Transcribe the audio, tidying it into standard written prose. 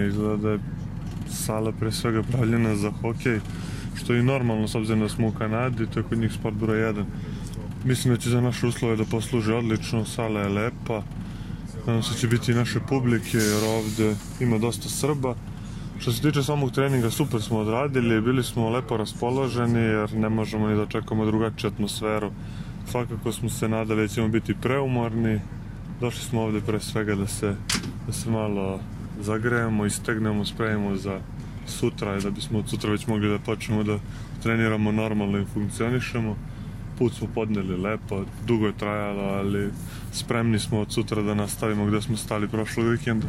Izgleda da je sala pre svega pravljena za hokej, što je i normalno s obzirom da smo u Kanadi, to je kod njih sport broj 1. Mislim da će za naše uslove da posluži odlično, sala je lepa, nadam se će biti i naše publike jer ovde ima dosta Srba. Što se tiče samog treninga, super smo odradili, bili smo lepo raspoloženi jer ne možemo ni da očekujemo drugačiju atmosferu. Svakako smo se nadali da ćemo biti preumorni, došli smo ovde pre svega da se malo zagrejemo, istegnemo, spremimo za sutra i da bismo od sutra već mogli da počnemo da treniramo normalno i funkcionišemo. Put smo podneli lepo, dugo je trajalo, ali spremni smo od sutra da nastavimo gde smo stali prošlog vikenda.